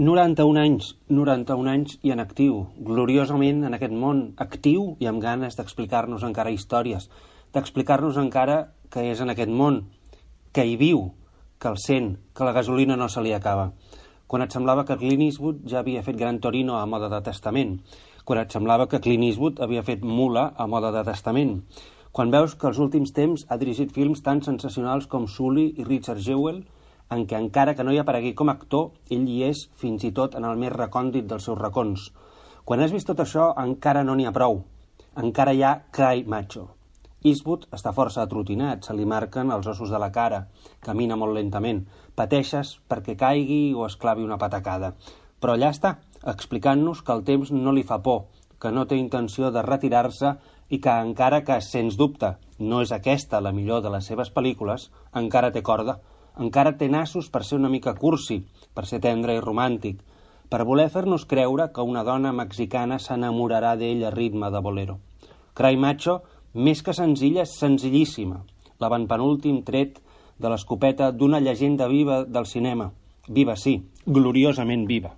91 anys i en actiu, gloriosament en aquest món, actiu i amb ganes d'explicar-nos encara històries, d'explicar-nos encara que és en aquest món, que hi viu, que el sent, que la gasolina no se li acaba. Quan et semblava que Clint Eastwood ja havia fet Gran Torino a moda de testament, quan et semblava que Clint Eastwood havia fet Mula a moda de testament, quan veus que els últims temps ha dirigit films tan sensacionals com Sully i Richard Jewell, en què encara que no hi aparegui com a actor, ell hi és fins i tot en el més recòndit dels seus racons. Quan has vist tot això, encara no n'hi ha prou. Encara hi ha Cry Macho. Eastwood està força atrotinat, se li marquen els ossos de la cara, camina molt lentament, pateixes perquè caigui o es clavi una patacada. Però allà està, explicant-nos que el temps no li fa por, que no té intenció de retirar-se i que encara que, sens dubte, no és aquesta la millor de les seves pel·lícules, encara té corda. Encara té nassos per ser una mica cursi, per ser tendre i romàntic, per voler fer-nos creure que una dona mexicana s'enamorarà d'ell a ritme de bolero. Cry Macho, més que senzilla, és senzillíssima, l'avantpenúltim tret de l'escopeta d'una llegenda viva del cinema. Viva, sí, gloriosament viva.